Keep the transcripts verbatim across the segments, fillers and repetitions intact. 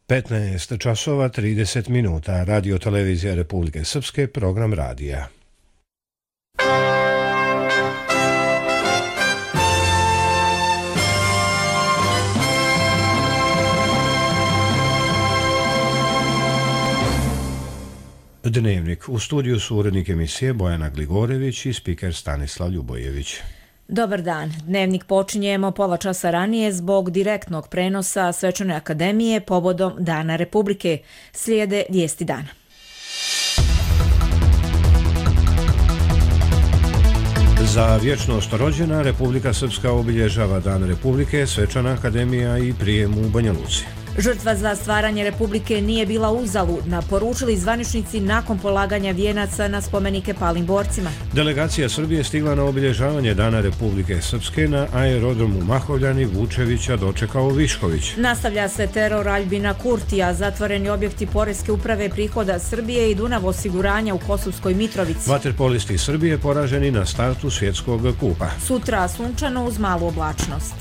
petnaest časova trideset minuta. Radio televizija Republike Srpske, program radija. Dnevnik. U studiju su urednik emisije Bojana Gligorević i spiker Stanislav Ljubojević. Dobar dan. Dnevnik počinjemo pola časa ranije zbog direktnog prenosa Svečane akademije povodom Dana Republike. Slijede vijesti dana. Za vječnost rođena Republika Srpska obilježava Dan Republike, Svečana akademija i prijem u Banja Luci. Žrtva za stvaranje Republike nije bila uzaludna, poručili zvaničnici nakon polaganja vijenaca na spomenike palim borcima. Delegacija Srbije stigla na obilježavanje Dana Republike Srpske na aerodromu Mahovljani, Vučevića dočekao Višković. Nastavlja se teror Aljbina Kurtija, zatvoreni objekti Poreske uprave prihoda Srbije i Dunav osiguranja u Kosovskoj Mitrovici. Vaterpolisti Srbije poraženi na startu svjetskog kupa. Sutra sunčano uz malu oblačnost.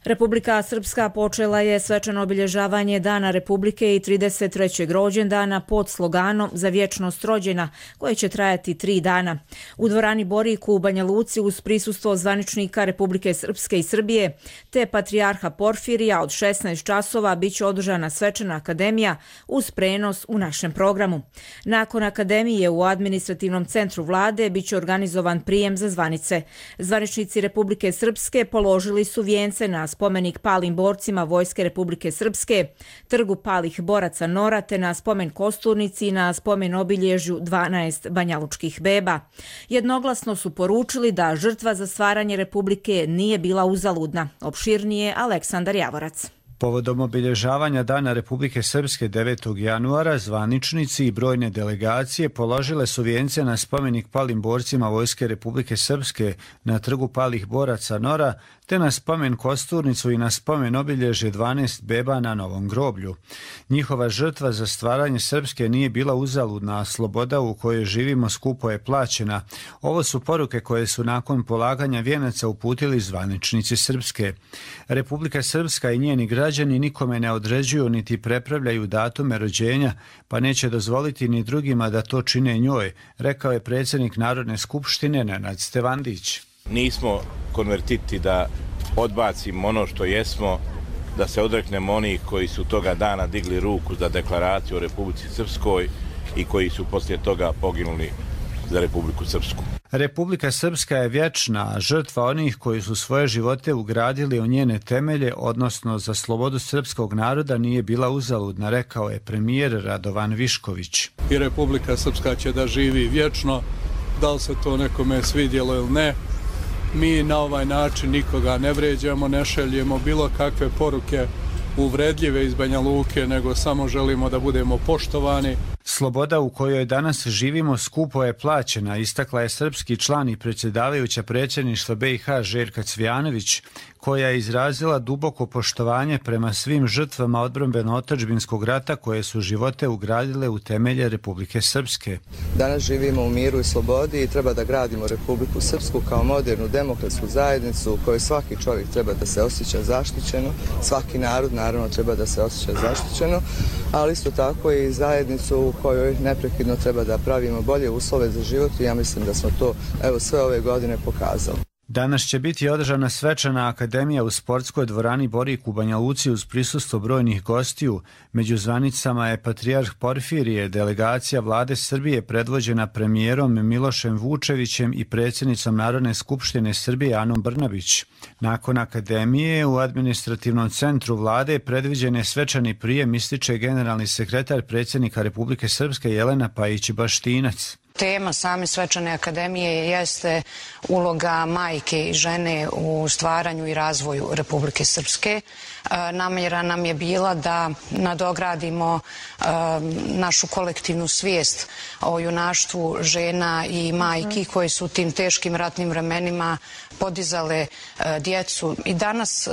Republika Srpska počela je svečano obilježavanje Dana Republike i trideset trećeg rođendana pod sloganom Za vječnost rođena, koje će trajati tri dana. U dvorani Boriku u Banja Luci uz prisustvo zvaničnika Republike Srpske i Srbije te patrijarha Porfirija od šesnaest časova biće održana svečana akademija uz prenos u našem programu. Nakon akademije u administrativnom centru vlade biće organizovan prijem za zvanice. Zvaničnici Republike Srpske položili su vijence na spomenik palim borcima Vojske Republike Srpske, trgu palih boraca Nora te na spomen kosturnici i na spomen obilježju dvanaest banjalučkih beba. Jednoglasno su poručili da žrtva za stvaranje Republike nije bila uzaludna. Opširnije Aleksandar Javorac. Povodom obilježavanja Dana Republike Srpske devetog januara, zvaničnici i brojne delegacije položile su vijence na spomenik palim borcima Vojske Republike Srpske na trgu palih boraca Nora, te na spomen kosturnicu i na spomen obilježje dvanaest beba na Novom groblju. Njihova žrtva za stvaranje Srpske nije bila uzaludna, a sloboda u kojoj živimo skupo je plaćena. Ovo su poruke koje su nakon polaganja vijenaca uputili zvaničnici Srpske. Republika Srpska i njeni građani nikome ne određuju niti prepravljaju datume rođenja, pa neće dozvoliti ni drugima da to čine njoj, rekao je predsjednik Narodne skupštine Nenad Stevandić. Nismo konvertiti da odbacimo ono što jesmo, da se odreknemo onih koji su toga dana digli ruku za deklaraciju o Republici Srpskoj i koji su poslije toga poginuli za Republiku Srpsku. Republika Srpska je vječna, a žrtva onih koji su svoje živote ugradili u njene temelje, odnosno za slobodu srpskog naroda, nije bila uzaludna, rekao je premijer Radovan Višković. I Republika Srpska će da živi vječno, da li se to nekome svidjelo ili ne. Mi na ovaj način nikoga ne vređamo, ne šaljemo bilo kakve poruke uvredljive iz Banja Luke, nego samo želimo da budemo poštovani. Sloboda u kojoj danas živimo skupo je plaćena, istakla je srpski član i predsjedavajuća predsjedništva B i H Željka Cvijanović, koja je izrazila duboko poštovanje prema svim žrtvama odbrambeno-otadžbinskog rata koje su živote ugradile u temelje Republike Srpske. Danas živimo u miru i slobodi i treba da gradimo Republiku Srpsku kao modernu demokratsku zajednicu u kojoj svaki čovjek treba da se osjeća zaštićeno, svaki narod naravno treba da se osjeća zaštićeno, ali isto tako i zajednicu u kojoj neprekidno treba da pravimo bolje uslove za život i ja mislim da smo to evo sve ove godine pokazali. Danas će biti održana svečana akademija u sportskoj dvorani Borik u Banja Luci uz prisustvo brojnih gostiju. Među zvanicama je patrijarh Porfirije, delegacija vlade Srbije predvođena premijerom Milošem Vučevićem i predsjednicom Narodne skupštine Srbije Anom Brnabić. Nakon akademije u administrativnom centru vlade predviđen je svečani prijem, ističe generalni sekretar predsjednika Republike Srpske Jelena Pajić-Baštinac. Tema same svečane akademije jeste uloga majke i žene u stvaranju i razvoju Republike Srpske. Namjera nam je bila da nadogradimo našu kolektivnu svijest o junaštvu žena i majki koji su u tim teškim ratnim vremenima podizale djecu. I danas,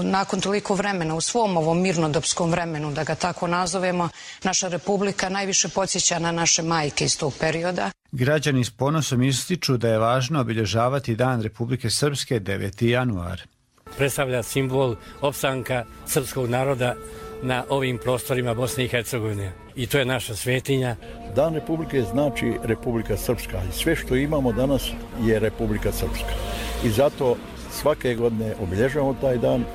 nakon toliko vremena, u svom ovom mirnodopskom vremenu, da ga tako nazovemo, naša Republika najviše podsjeća na naše majke iz tog perioda. Građani s ponosom ističu da je važno obilježavati Dan Republike Srpske deveti januar. predstavlja simbol opstanka srpskog naroda na ovim prostorima Bosne i Hercegovine. I to je naša svetinja. Dan Republike znači Republika Srpska i sve što imamo danas je Republika Srpska. I zato svake godine obilježavamo taj dan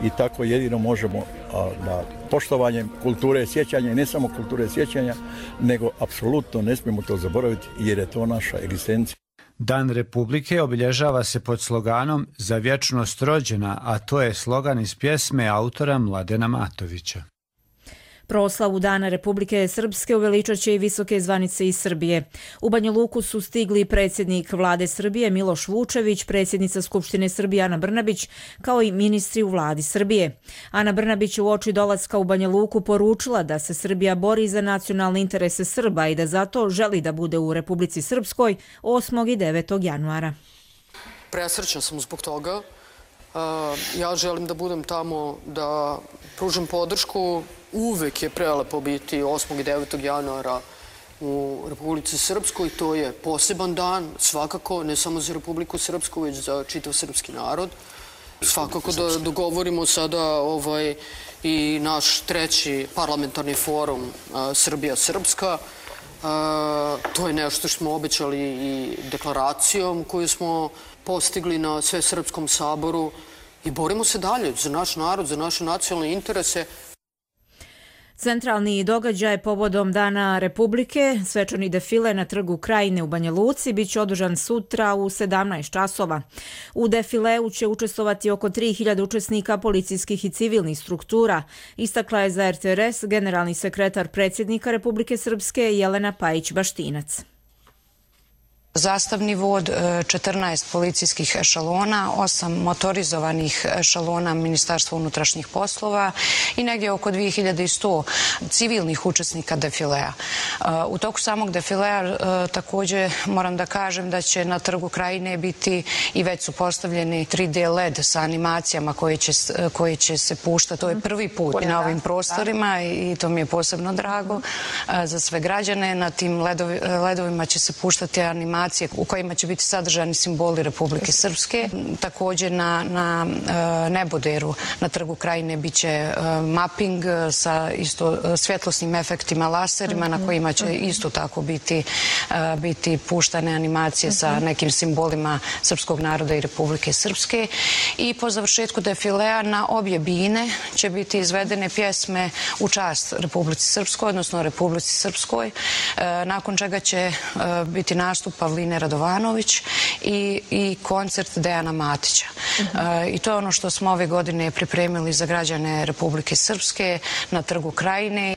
i tako jedino možemo a, na poštovanjem kulture sjećanja i ne samo kulture sjećanja, nego apsolutno ne smijemo to zaboraviti jer je to naša egzistencija. Dan Republike obilježava se pod sloganom Za vječnost rođena, a to je slogan iz pjesme autora Mladena Matovića. Proslavu Dana Republike Srpske uveličat će i visoke zvanice iz Srbije. U Banja Luku su stigli predsjednik vlade Srbije Miloš Vučević, predsjednica Skupštine Srbije Ana Brnabić, kao i ministri u vladi Srbije. Ana Brnabić uoči dolaska u Banja Luku poručila da se Srbija bori za nacionalne interese Srba i da zato želi da bude u Republici Srpskoj osmog i devetog januara. Presrećna sam zbog toga. Ja želim da budem tamo, da pružim podršku. Uvek je prelepo biti osmog i devetog januara u Republici Srpskoj. To je poseban dan, svakako, ne samo za Republiku Srpsku, već za čitav srpski narod. Svakako da dogovorimo sada ovaj, i naš treći parlamentarni forum Srbija-Srpska. To je nešto što smo obećali i deklaracijom koju smo postigli na Svesrpskom saboru i borimo se dalje za naš narod, za naše nacionalne interese. Centralni događaj povodom Dana Republike, svečani defile na trgu Krajine u Banja Luci, bit će održan sutra u sedamnaest časova. U defileu će učestvovati oko tri hiljade učesnika policijskih i civilnih struktura, istakla je za er te er es generalni sekretar predsjednika Republike Srpske Jelena Pajić-Baštinac. Zastavni vod, četrnaest policijskih ešalona, osam motorizovanih ešalona Ministarstva unutrašnjih poslova i negdje oko dvije hiljade sto civilnih učesnika defilea. U toku samog defilea također moram da kažem da će na trgu Krajine biti i već su postavljeni tri de led sa animacijama koje će, koje će se puštati. To je prvi put na ovim prostorima i to mi je posebno drago za sve građane. Na tim ledovi, ledovima će se puštati animacije u kojima će biti sadržani simboli Republike Srpske. Također na, na neboderu na trgu Krajine bit će mapping sa isto svjetlosnim efektima, laserima na kojima će isto tako biti, biti puštane animacije sa nekim simbolima srpskog naroda i Republike Srpske. I po završetku defilea na obje bine će biti izvedene pjesme u čast Republici Srpskoj, odnosno Republici Srpskoj, nakon čega će biti nastup Pavline Radovanović i, i koncert Dejana Matića. Uh-huh. I to je ono što smo ove godine pripremili za građane Republike Srpske na trgu Krajine.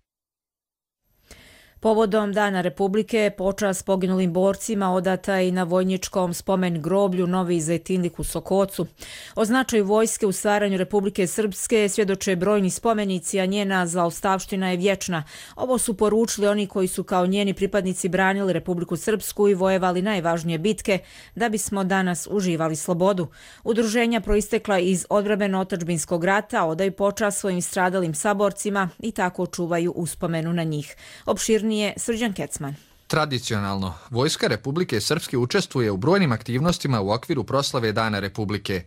Povodom Dana Republike počast poginulim borcima odata i na vojničkom spomen groblju Novi Zejtinlik u Sokocu. O značaju vojske u stvaranju Republike Srpske svjedoče brojni spomenici, a njena zaostavština je vječna. Ovo su poručili oni koji su kao njeni pripadnici branili Republiku Srpsku i vojevali najvažnije bitke da bismo danas uživali slobodu. Udruženja proistekla iz odbrambeno-otadžbinskog rata odaju počast svojim stradalim saborcima i tako čuvaju uspomenu na njih. Opširni je Srđan Kecman. Tradicionalno, Vojska Republike Srpske učestvuje u brojnim aktivnostima u okviru proslave Dana Republike.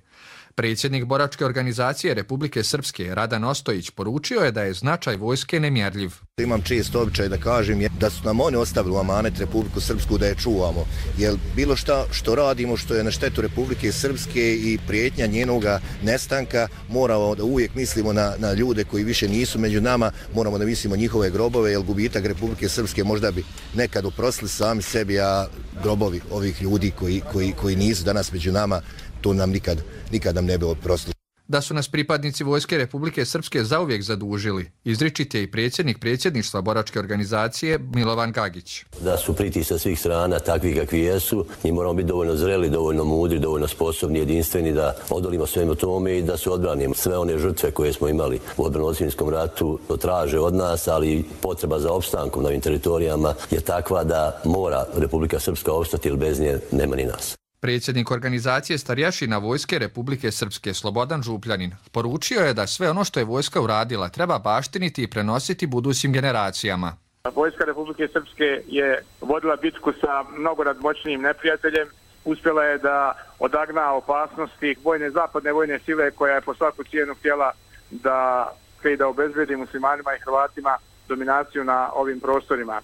Predsjednik boračke organizacije Republike Srpske Radan Ostojić poručio je da je značaj vojske nemjerljiv. Imam čest običaj da kažem da su nam oni ostavili u amanet Republiku Srpsku da je čuvamo. Jer bilo šta što radimo što je na štetu Republike Srpske i prijetnja njenoga nestanka, moramo da uvijek mislimo na, na ljude koji više nisu među nama, moramo da mislimo njihove grobove, jer gubitak Republike Srpske možda bi nekad oprostili sami sebi, a grobovi ovih ljudi koji, koji, koji nisu danas među nama, to nam nikad, nikad nam ne bi oprostili. Da su nas pripadnici Vojske Republike Srpske zauvijek zadužili, izričit je i predsjednik predsjedništva boračke organizacije Milovan Gagić. Da su pritisak sa svih strana takvi kakvi jesu i moramo biti dovoljno zreli, dovoljno mudri, dovoljno sposobni, jedinstveni da odolimo svemu tome i da se odbranimo. Sve one žrtve koje smo imali u odbrano-odsvinskom ratu to traže od nas, ali potreba za opstankom na ovim teritorijama je takva da mora Republika Srpska opstati, jer bez nje nema ni nas. Predsjednik organizacije starješina Vojske Republike Srpske Slobodan Župljanin poručio je da sve ono što je vojska uradila treba baštiniti i prenositi budućim generacijama. Vojska Republike Srpske je vodila bitku sa mnogo nadmoćnijim neprijateljem uspjela je da odagna opasnosti vojne zapadne vojne sile koja je po svaku cijenu htjela da, da obezbedi muslimanima i Hrvatima dominaciju na ovim prostorima.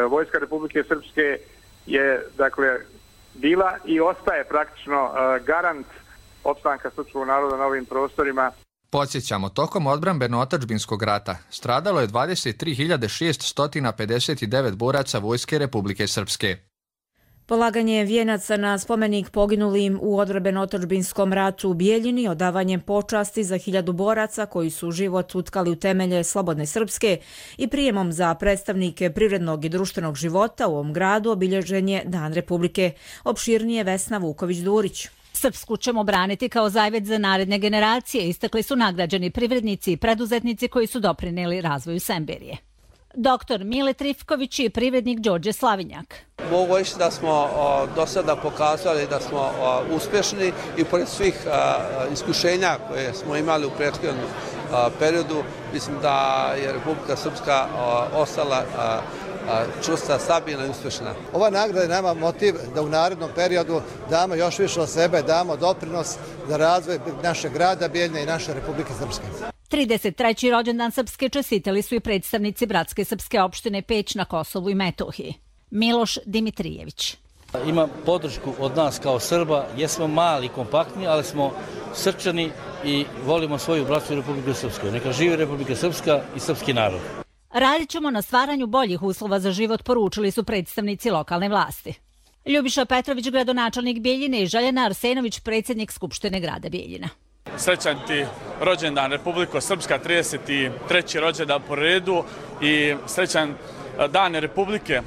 Vojska Republike Srpske je dakle bila i ostaje praktično garant opstanka srpskog naroda na ovim prostorima. Podsjećamo, tokom odbrambeno-otadžbinskog rata stradalo je dvadeset tri hiljade šeststo pedeset devet boraca Vojske Republike Srpske. Polaganje vijenaca na spomenik poginulim u odbrambeno-otadžbinskom ratu u Bijeljini, odavanjem počasti za hiljadu boraca koji su život utkali u temelje slobodne Srpske i prijemom za predstavnike privrednog i društvenog života u ovom gradu obilježen je Dan Republike. Opširnije Vesna Vuković-Durić. Srpsku ćemo braniti kao zajvet za naredne generacije, istakli su nagrađeni privrednici i preduzetnici koji su doprinijeli razvoju Semberije. Doktor Mile Trifković je privrednik Đorđe Slavinjak. Mogu reći da smo o, do sada pokazali da smo o, uspješni i pored svih a, iskušenja koje smo imali u prethodnom periodu, mislim da je Republika Srpska o, ostala a, čusta, stabilna i uspješna. Ova nagrada je nama motiv da u narednom periodu damo još više od sebe, damo doprinos za razvoj našeg grada Bijeljine i naše Republike Srpske. trideset treći rođendan Srpske čestitali su i predstavnici Bratske srpske opštine Peć na Kosovu i Metohiji. Miloš Dimitrijević. Ima podršku od nas kao Srba, jesmo mali, kompaktni, ali smo srčani i volimo svoju bratsku Republiku Srpsku. Neka živi Republika Srpska i srpski narod. Radit ćemo na stvaranju boljih uslova za život, poručili su predstavnici lokalne vlasti. Ljubiša Petrović, gradonačelnik Bijeljine, i Željena Arsenović, predsjednik Skupštine grada Bijeljina. Srećan ti rođendan Republiko Srpska, trideset treći rođendan po redu i srećan Dan Republike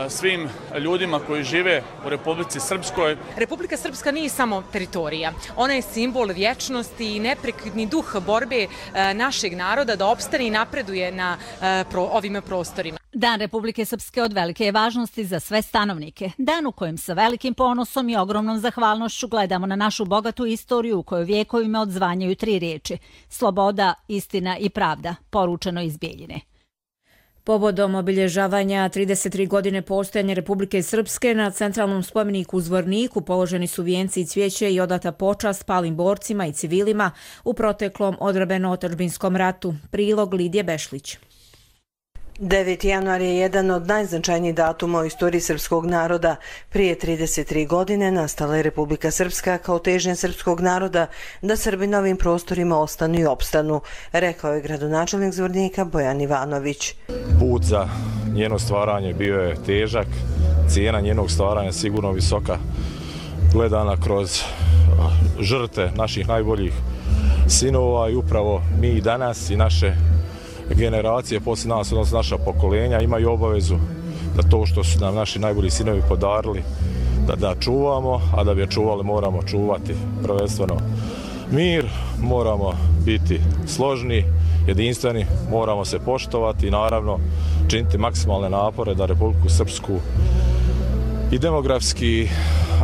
svim ljudima koji žive u Republici Srpskoj. Republika Srpska nije samo teritorija. Ona je simbol vječnosti i neprekidni duh borbe našeg naroda da opstane i napreduje na ovim prostorima. Dan Republike Srpske od velike je važnosti za sve stanovnike. Dan u kojem sa velikim ponosom i ogromnom zahvalnošću gledamo na našu bogatu istoriju u kojoj vjekovima odzvanjaju tri riječi: sloboda, istina i pravda, poručeno iz Bijeljine. Povodom obilježavanja trideset tri godine postojanja Republike Srpske na centralnom spomeniku u Zvorniku položeni su vijenci i cvijeće i odata počast palim borcima i civilima u proteklom odbrambeno-otadžbinskom ratu. Prilog Lidije Bešlić. deveti januar je jedan od najznačajnijih datuma u istoriji srpskog naroda. Prije trideset tri godine nastala je Republika Srpska kao težnja srpskog naroda da Srbi na ovim prostorima ostanu i opstanu, rekao je gradonačelnik Zvornika Bojan Ivanović. Put za njeno stvaranje bio je težak, cijena njenog stvaranja sigurno visoka, gledana kroz žrtve naših najboljih sinova i upravo mi danas i naše generacije poslije nas, odnosno naša pokolenja, imaju obavezu da to što su nam naši najbolji sinovi podarili, da, da čuvamo, a da bi je čuvali moramo čuvati prvenstveno mir, moramo biti složni, jedinstveni, moramo se poštovati i naravno činiti maksimalne napore da Republiku Srpsku i demografski,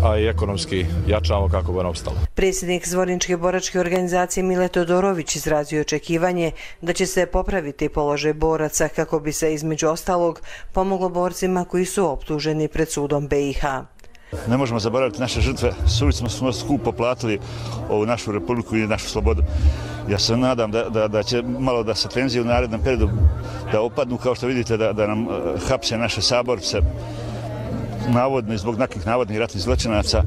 a i ekonomski jačamo kako bi ona opstala. Predsjednik Zvorničke boračke organizacije Mile Todorović izrazio očekivanje da će se popraviti položaj boraca kako bi se između ostalog pomoglo borcima koji su optuženi pred sudom be i ha. Ne možemo zaboraviti naše žrtve, suvišno smo skupo platili ovu našu republiku i našu slobodu. Ja se nadam da, da, da će malo da se tenzije u narednom periodu da opadnu, kao što vidite da, da nam hapse naše saborce, navodno i zbog nekih navodnih ratnih zločinaca.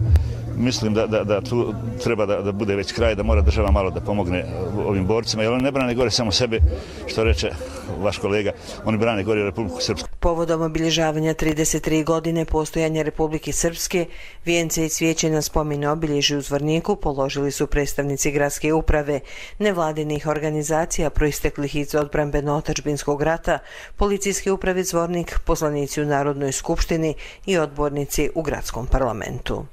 Mislim da, da, da tu treba da, da bude već kraj, da mora država malo da pomogne ovim borcima, jer oni ne brane gore samo sebe, što reče vaš kolega, oni brane gore Republiku Srpsku. Povodom obilježavanja trideset tri godine postojanja Republike Srpske, vijence i cvijeće na spomene obilježju u Zvorniku položili su predstavnici gradske uprave, nevladinih organizacija proisteklih iz odbrambeno-otadžbinskog rata, policijske uprave Zvornik, poslanici u Narodnoj skupštini i odbornici u gradskom parlamentu.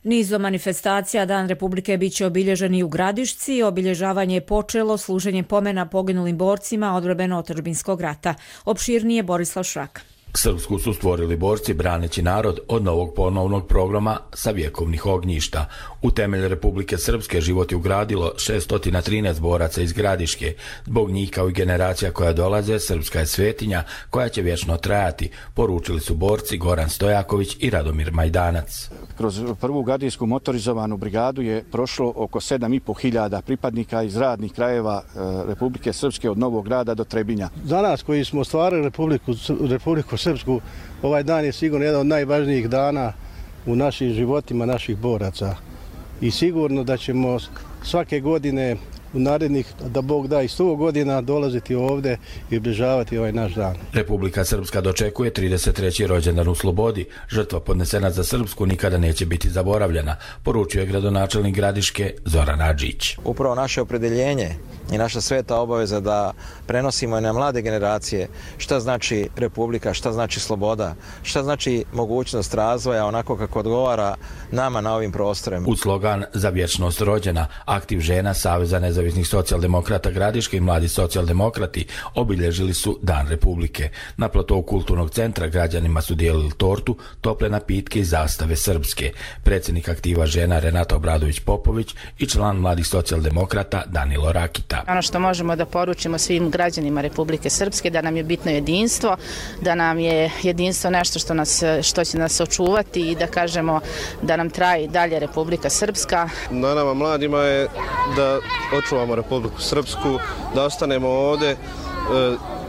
Nizom manifestacija Dan Republike biće obilježen i u Gradišci. Obilježavanje je počelo služenjem pomena poginulim borcima odbrambeno-otadžbinskog rata. Opširnije Borislav Šrak. Srpsku su stvorili borci braneći narod od novog ponovnog programa sa vjekovnih ognjišta. U temelj Republike Srpske život je ugradilo šesto trinaest boraca iz Gradiške. Zbog njih kao i generacija koja dolaze, Srpska je svetinja koja će vječno trajati, poručili su borci Goran Stojaković i Radomir Majdanac. Kroz prvu gardijsku motorizovanu brigadu je prošlo oko sedam i po hiljada pripadnika iz radnih krajeva Republike Srpske od Novog Grada do Trebinja. Za nas koji smo stvarali Republiku, Republiku Srpsku, ovaj dan je sigurno jedan od najvažnijih dana u našim životima naših boraca. I sigurno da ćemo svake godine u narednih, da Bog da i sto godina, dolaziti ovdje i obilježavati ovaj naš dan. Republika Srpska dočekuje trideset treći rođendan u slobodi. Žrtva podnesena za Srpsku nikada neće biti zaboravljena, poručio je gradonačelnik Gradiške Zoran Adžić. Upravo naše opredeljenje i naša sveta obaveza da prenosimo na mlade generacije šta znači republika, šta znači sloboda, šta znači mogućnost razvoja onako kako odgovara nama na ovim prostorima. U slogan Za vječnost rođena, aktiv žena Saveza nezavisnih socijaldemokrata Gradiške i mladi socijaldemokrati obilježili su Dan Republike. Na platovu kulturnog centra građanima su dijelili tortu, tople napitke i zastave srpske. Predsjednik aktiva žena Renata Obradović-Popović i član mladih socijaldemokrata Danilo Rakita. Ono što možemo da poručimo svim građanima Republike Srpske, da nam je bitno jedinstvo, da nam je jedinstvo nešto što, nas, što će nas očuvati i da kažemo da nam traje dalje Republika Srpska. Na nama mladima je da očuvamo Republiku Srpsku, da ostanemo ovdje,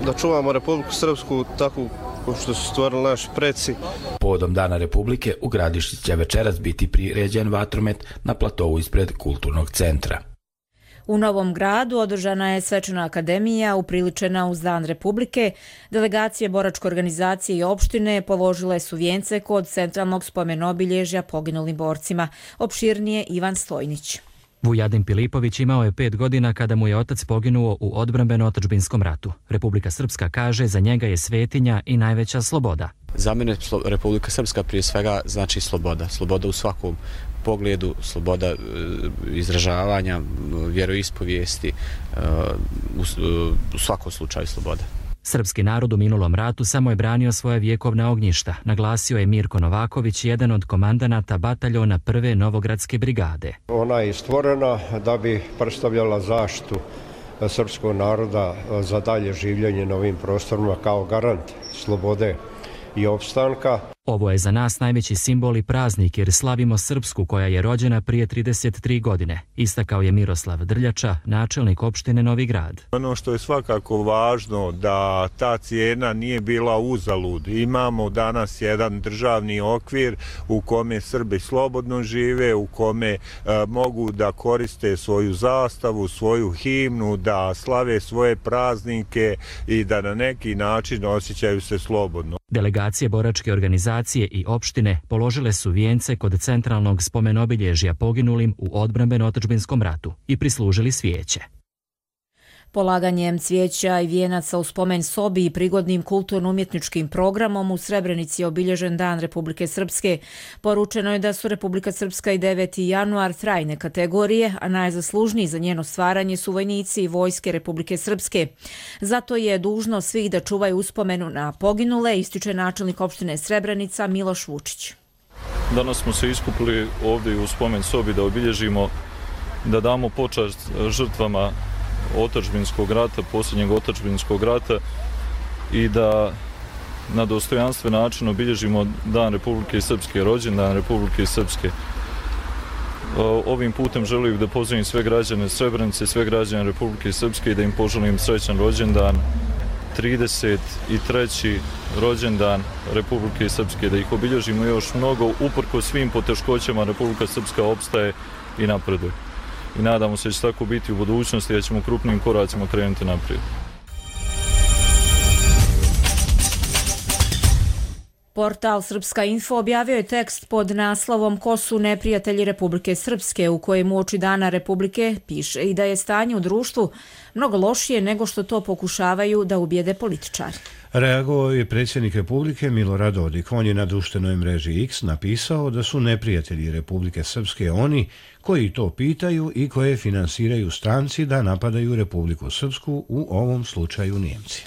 da čuvamo Republiku Srpsku takvu što su stvorili naši preci. Povodom Dana Republike u Gradišci će večeras biti priređen vatromet na platovu ispred kulturnog centra. U Novom Gradu održana je svečana akademija upriličena uz Dan Republike. Delegacije boračke organizacije i opštine položile su vijence kod centralnog spomenobilježja poginulim borcima. Opširnije Ivan Stojnić. Vujadin Pilipović imao je pet godina kada mu je otac poginuo u odbrambeno-otadžbinskom ratu. Republika Srpska kaže za njega je svetinja i najveća sloboda. Za mene Republika Srpska prije svega znači sloboda. Sloboda u svakom pogledu, sloboda izražavanja, vjeroispovijesti, u svakom slučaju sloboda. Srpski narod u minulom ratu samo je branio svoje vjekovna ognjišta, naglasio je Mirko Novaković, jedan od komandanata bataljona prve Novogradske brigade. Ona je stvorena da bi predstavljala zaštitu srpskog naroda za dalje življenje na ovim prostorima kao garant slobode i opstanka. Ovo je za nas najveći simbol i praznik jer slavimo Srpsku koja je rođena prije trideset tri godine, istakao je Miroslav Drljača, načelnik opštine Novi Grad. Ono što je svakako važno da ta cijena nije bila uzalud. Imamo danas jedan državni okvir u kome Srbi slobodno žive, u kome e, mogu da koriste svoju zastavu, svoju himnu, da slave svoje praznike i da na neki način osjećaju se slobodno. Delegacije boračke organizacije i opštine položile su vijence kod centralnog spomenobilježja poginulim u odbrambeno-otadžbinskom ratu i prislužili svijeće. Polaganjem cvijeća i vijenaca u spomen sobi i prigodnim kulturno-umjetničkim programom u Srebrenici je obilježen Dan Republike Srpske. Poručeno je da su Republika Srpska i deveti januar trajne kategorije, a najzaslužniji za njeno stvaranje su vojnici i vojske Republike Srpske. Zato je dužno svih da čuvaju uspomenu na poginule, ističe načelnik opštine Srebrenica Miloš Vučić. Danas smo se iskupili ovdje u spomen sobi da obilježimo, da damo počast žrtvama otadžbinskog rata, posljednjeg otadžbinskog rata i da na dostojanstven način obilježimo Dan Republike Srpske, rođendan Republike Srpske. Ovim putem želim da pozdravim sve građane Srebrenice, sve građane Republike Srpske i da im poželim srećan rođendan, trideset treći rođendan Republike Srpske, da ih obilježimo još mnogo, uprkos svim poteškoćama Republika Srpska opstaje i napreduje. I nadamo se da će tako biti u budućnosti, da ćemo krupnim koracima krenuti naprijed. Portal Srpska info objavio je tekst pod naslovom Ko su neprijatelji Republike Srpske, u kojem uoči Dana Republike piše i da je stanje u društvu mnogo lošije nego što to pokušavaju da ubijede političari. Reagovao je predsjednik Republike Milorad Dodik. On je na društvenoj mreži X napisao da su neprijatelji Republike Srpske oni koji to pitaju i koje finansiraju stranci da napadaju Republiku Srpsku, u ovom slučaju Nijemci.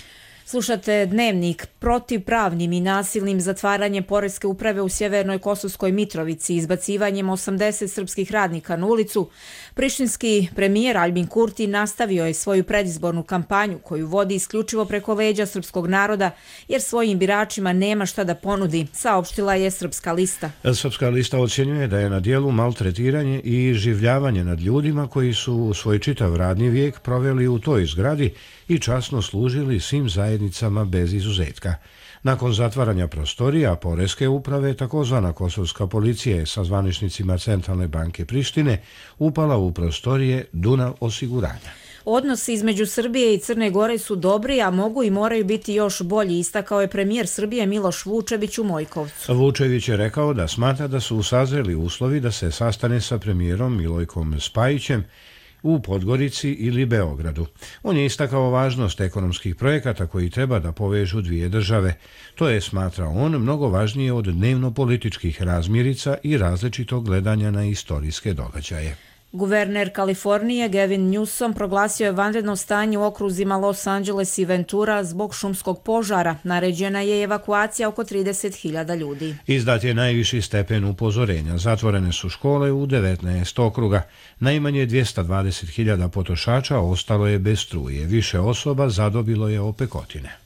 Slušate Dnevnik. Protivpravnim i nasilnim zatvaranjem poreske uprave u sjevernoj Kosovskoj Mitrovici, izbacivanjem osamdeset srpskih radnika na ulicu, prištinski premijer Aljbin Kurti nastavio je svoju predizbornu kampanju koju vodi isključivo preko leđa srpskog naroda, jer svojim biračima nema šta da ponudi, saopštila je Srpska lista. Srpska lista ocjenjuje da je na dijelu maltretiranje i življavanje nad ljudima koji su svoj čitav radni vijek proveli u toj zgradi i časno služili svim zajednicama bez izuzetka. Nakon zatvaranja prostorija poreske uprave, takozvana kosovska policija je sa zvaničnicima Centralne banke Prištine upala u prostorije Dunav osiguranja. Odnosi između Srbije i Crne Gore su dobri, a mogu i moraju biti još bolji, istakao je premijer Srbije Miloš Vučević u Mojkovcu. Vučević je rekao da smatra da su sazreli uslovi da se sastane sa premijerom Milojkom Spajićem u Podgorici ili Beogradu. On je istakao važnost ekonomskih projekata koji treba da povežu dvije države. To je, smatra on, mnogo važnije od dnevno-političkih razmirica i različitog gledanja na istorijske događaje. Guverner Kalifornije Gavin Newsom proglasio je vanredno stanje u okruzima Los Angeles i Ventura zbog šumskog požara. Naređena je evakuacija oko trideset hiljada ljudi. Izdat je najviši stepen upozorenja. Zatvorene su škole u devetnaest okruga. Najmanje dvjesto dvadeset hiljada potrošača ostalo je bez struje. Više osoba zadobilo je opekotine.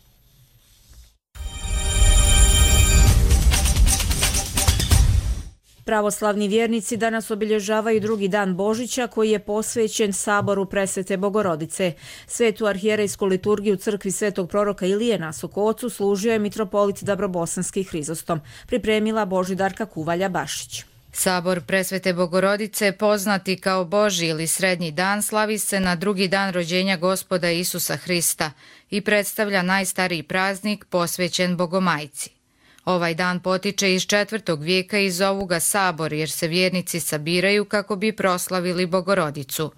Pravoslavni vjernici danas obilježavaju drugi dan Božića koji je posvećen saboru Presvete Bogorodice. Svetu arhijerejsku liturgiju u crkvi Svetog proroka Ilije na Sokocu služio je mitropolit Dabrobosanski Hrizostom, pripremila Božidarka Kuvalja-Bašić. Sabor Presvete Bogorodice, poznati kao Božji ili Srednji dan, slavi se na drugi dan rođenja Gospoda Isusa Hrista i predstavlja najstariji praznik posvećen Bogomajci. Ovaj dan potiče iz četvrtog vijeka i zovu ga Sabor jer se vjernici sabiraju kako bi proslavili Bogorodicu.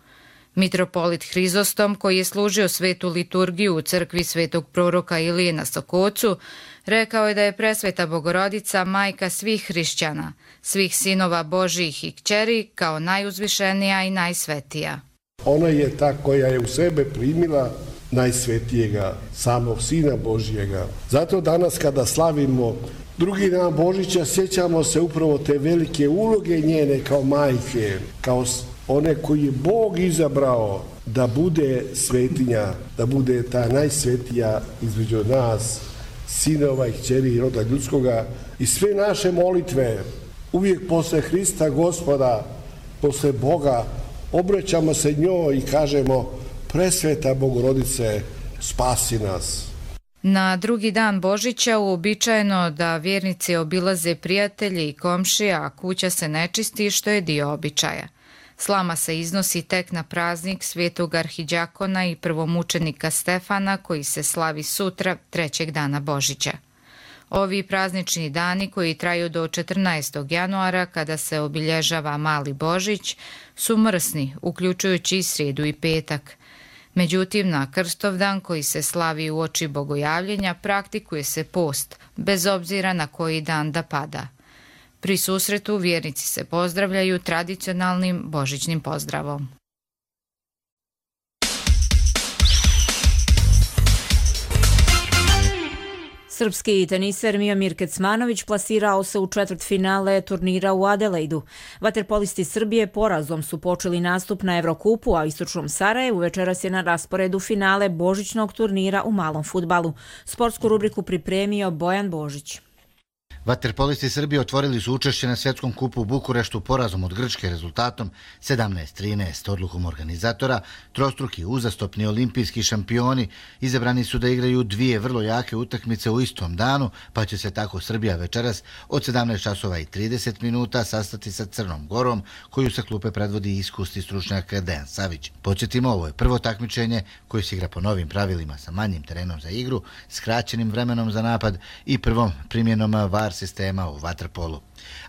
Mitropolit Hrizostom, koji je služio svetu liturgiju u crkvi Svetog proroka Ilije na Sokocu, rekao je da je Presveta Bogorodica majka svih hrišćana, svih sinova Božjih i kćeri, kao najuzvišenija i najsvetija. Ona je ta koja je u sebe primila najsvetijega, samog Sina Božjega. Zato danas kada slavimo drugi dan Božića, sjećamo se upravo te velike uloge njene kao majke, kao one koji je Bog izabrao da bude svetinja, da bude ta najsvetija između nas, sinova i kćeri i roda ljudskoga. I sve naše molitve, uvijek posle Hrista Gospoda, posle Boga, obraćamo se njoj i kažemo: Presveta Bogorodice, spasi nas. Na drugi dan Božića uobičajeno da vjernici obilaze prijatelje i komšije, a kuća se ne čisti, što je dio običaja. Slama se iznosi tek na praznik Svetog arhiđakona i prvomučenika Stefana, koji se slavi sutra, trećeg dana Božića. Ovi praznični dani, koji traju do četrnaestog januara, kada se obilježava Mali Božić, su mrsni, uključujući i srijedu i petak. Međutim, na Krstovdan, koji se slavi uoči bogojavljenja, praktikuje se post, bez obzira na koji dan da pada. Pri susretu vjernici se pozdravljaju tradicionalnim božićnim pozdravom. Srpski teniser Miomir Kecmanović plasirao se u četvrtfinale turnira u Adelaidu. Vaterpolisti Srbije porazom su počeli nastup na Evrokupu, a u istočnom Sarajevu večeras je na rasporedu finale božićnog turnira u malom fudbalu. Sportsku rubriku pripremio Bojan Božić. Vaterpolisti Srbije otvorili su učešće na svjetskom kupu u Bukureštu porazom od Grčke rezultatom sedamnaest trinaest. Odlukom organizatora, trostruki uzastopni olimpijski šampioni izabrani su da igraju dvije vrlo jake utakmice u istom danu, pa će se tako Srbija večeras od sedamnaest časova i trideset minuta sastati sa Crnom Gorom, koju sa klupe predvodi iskusni stručnjak Dejan Savić. Podsjetimo, ovo je prvo takmičenje koje se igra po novim pravilima sa manjim terenom za igru, skraćenim vremenom za napad i prvom primjenom VAR sistema u vaterpolu.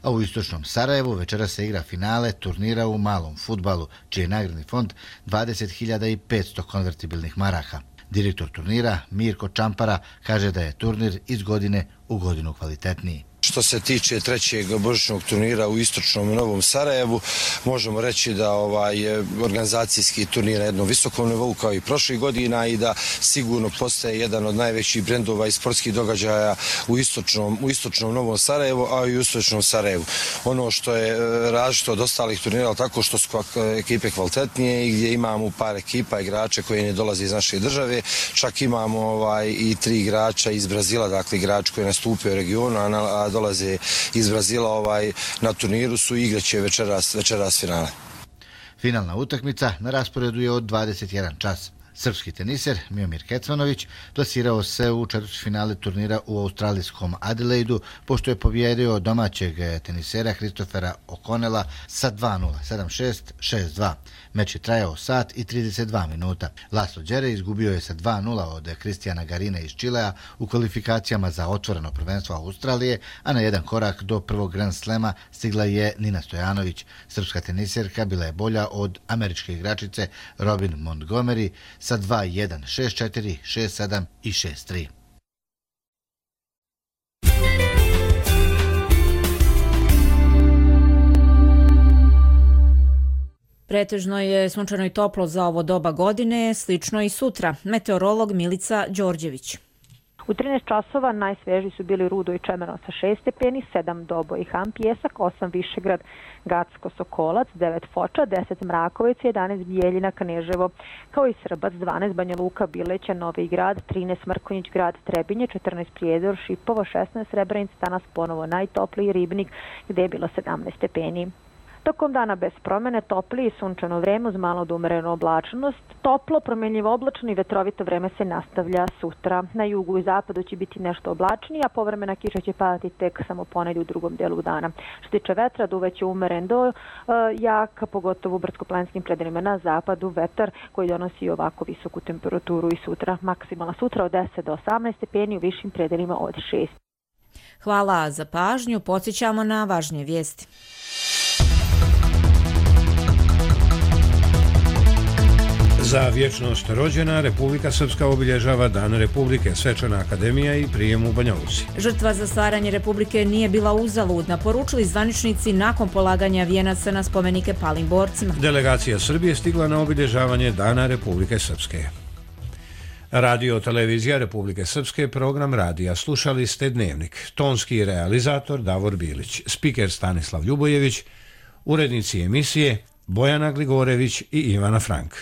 A u istočnom Sarajevu večera se igra finale turnira u malom fudbalu, čiji je nagradni fond dvadeset hiljada petsto konvertibilnih maraka. Direktor turnira Mirko Čampara kaže da je turnir iz godine u godinu kvalitetniji. što se tiče trećeg božićnog turnira u istočnom Novom Sarajevu, možemo reći da ovaj organizacijski turnir na jednom visokom nivou kao i prošlih godina i da sigurno postaje jedan od najvećih brendova i sportskih događaja u istočnom, u istočnom Novom Sarajevu, a i u istočnom Sarajevu. Ono što je različito od ostalih turnira, tako što su ekipe kvalitetnije i gdje imamo par ekipa igrača koji ne dolaze iz naše države, čak imamo ovaj, i tri igrača iz Brazila, dakle igrači koji nastupaju u regionu, a, a dolaze iz Brazila ovaj, na turniru su i igraće večeras, večeras finale. Finalna utakmica na rasporedu je od dvadeset jedan čas. Srpski teniser Miomir Kecmanović plasirao se u četvrtfinale turnira u australijskom Adelaidu pošto je pobjedio domaćeg tenisera Christophera O'Connella sa dva nula, sedam šest, šest dva. Meč je trajao sat i trideset dva minuta. Laslo Đere izgubio je sa dva nula od Kristijana Garina iz Čilea u kvalifikacijama za otvoreno prvenstvo Australije, a na jedan korak do prvog Grand Slema stigla je Nina Stojanović. Srpska teniserka bila je bolja od američke igračice Robin Montgomery sa dva jedan, šest četiri, šest sedam i šest tri. Pretežno je sunčano i toplo za ovo doba godine, slično i sutra. Meteorolog Milica Đorđević. U trinaest časova najsvežiji su bili Rudo i Čemerno sa šest stepeni, sedam Dobo i Han Pjesak, osam Višegrad, Gacko Sokolac, devet Foča, deset Mraković, jedanaest Bijeljina Kneževo, kao i Srbac, dvanaest Banja Luka, Bileća, Novi Grad, trinaest Mrkonjić Grad, Trebinje, četrnaest Prijedor, Šipovo, šesnaest Srebrenica, danas ponovo najtopliji Ribnik gdje je bilo sedamnaest stepeni. Tokom dana bez promjene, topli i sunčano vreme uz malo od umerenu oblačnost. Toplo, promjenjivo oblačno i vetrovito vreme se nastavlja sutra. Na jugu i zapadu će biti nešto oblačnije, a povremena kiša će padati tek samo ponedjeljak u drugom delu dana. Što tiče vetra, duvaće umeren do uh, jak, pogotovo u brdsko-planinskim predelima na zapadu, vetar koji donosi ovako visoku temperaturu i sutra. Maksimalna sutra od deset do osamnaest stepeni, u višim predelima od šest. Hvala za pažnju, podsjećamo na važnije vijesti. Za vječnost rođena Republika Srpska obilježava Dan Republike, Svečana akademija i prijem u Banja Luci. Žrtva za stvaranje Republike nije bila uzaludna, poručili zvaničnici nakon polaganja vijenaca na spomenike palim borcima. Delegacija Srbije stigla na obilježavanje Dana Republike Srpske. Radio televizija Republike Srpske, program radija. Slušali ste Dnevnik. Tonski realizator Davor Bilić, spiker Stanislav Ljubojević, urednici emisije Bojana Gligorević i Ivana Frank.